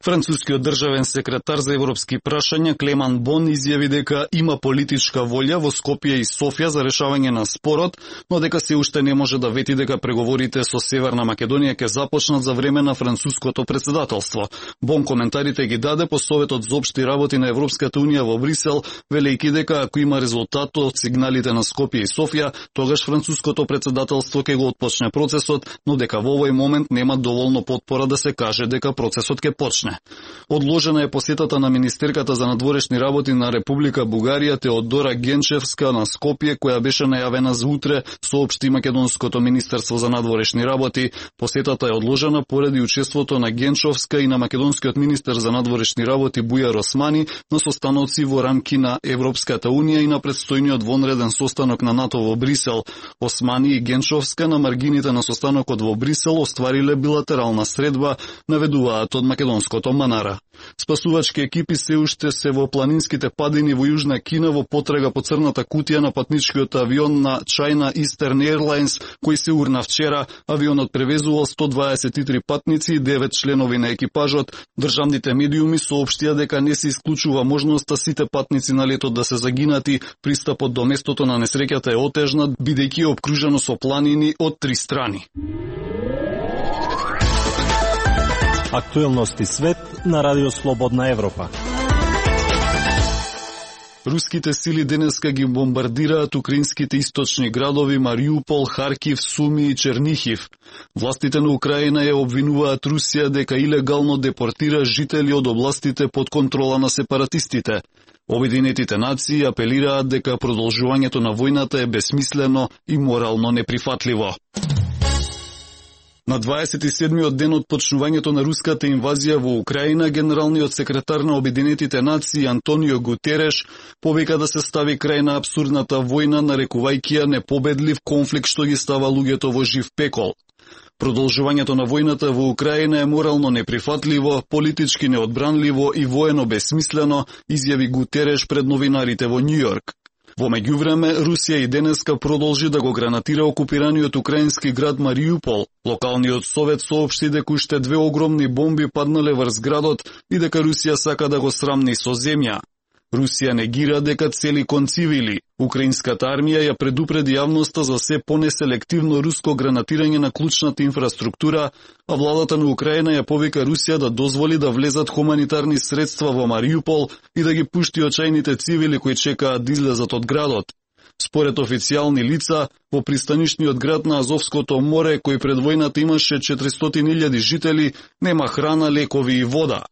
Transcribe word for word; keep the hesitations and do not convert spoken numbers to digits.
Францускиот државен секретар за европски прашања Клеман Бон изјави дека има политичка волја во Скопје и Софија за решавање на спорот, но дека се уште не може да вети дека преговорите со Северна Македонија ќе започнат за време на француското претседателство. Бон коментарите ги даде по Советот за општи работи на Европската унија во Брисел, велејќи дека ако има резултат од сигналите на Скопје и Софија, тогаш француското претседателство ќе го отпочне процесот, но дека во овој момент нема доволно потпора да се каже дека процесот ќе почне. Одложена е посетата на министерката за надворешни работи на Република Бугарија Теодора Генчевска на Скопје, која беше најавена за утре, соопшти македонското министерство за надворешни работи. Посетата е одложена поради учеството на Генчовска и на македонскиот министер за надворешни работи Бујар Османи на состаноци во рамки на Европската унија и на предстојниот вонреден состанок на НАТО во Брисел. Османи и Генчовска на маргините на состанокот во Брисел оствариле билатерална средба, наведуваат од македонското Манара. Спасувачки екипи се уште се во планинските падини во Јужна Кина во потрага по црната кутија на патничкиот авион на China Eastern Airlines, кој се урна вчера. Авионот превезувал сто дваесет и три патници и девет членови на екипажот. Државните медиуми соопштија дека не се исклучува можноста сите патници на летот да се загинати. Пристапот до местото на несреќата е отежнат, бидејќи е обкружено со планини од три страни. Актуелности свет на Радио Слободна Европа. Руските сили денеска ги бомбардираат украинските источни градови Мариупол, Харкив, Суми и Чернихив. Властите на Украина ја обвинуваат Русија дека илегално депортира жители од областите под контрола на сепаратистите. Обединетите нации апелираат дека продолжувањето на војната е бесмислено и морално неприфатливо. На дваесет и седмиот ден од почнувањето на руската инвазија во Украина, генералниот секретар на Обединетите нации Антонио Гутереш повика да се стави крај на абсурдната војна, нарекувајќи ја непобедлив конфликт што ги става луѓето во жив пекол. Продолжувањето на војната во Украина е морално неприфатливо, политички неодбранливо и воено бесмислено, изјави Гутереш пред новинарите во Њујорк. Во меѓувреме, Русија и денеска продолжи да го гранатира окупираниот украински град Мариупол. Локалниот совет соопшти дека уште две огромни бомби паднале врз градот и дека Русија сака да го срамни со земја. Русија негира дека цели кон цивили. Украинската армија ја предупреди јавноста за се понеселективно руско гранатирање на клучната инфраструктура, а владата на Украина ја повика Русија да дозволи да влезат хуманитарни средства во Мариупол и да ги пушти очајните цивили кои чекаат да излезат од градот. Според официјални лица, во пристанишниот град на Азовското море, кој пред војната имаше четиристотини илјади жители, нема храна, лекови и вода.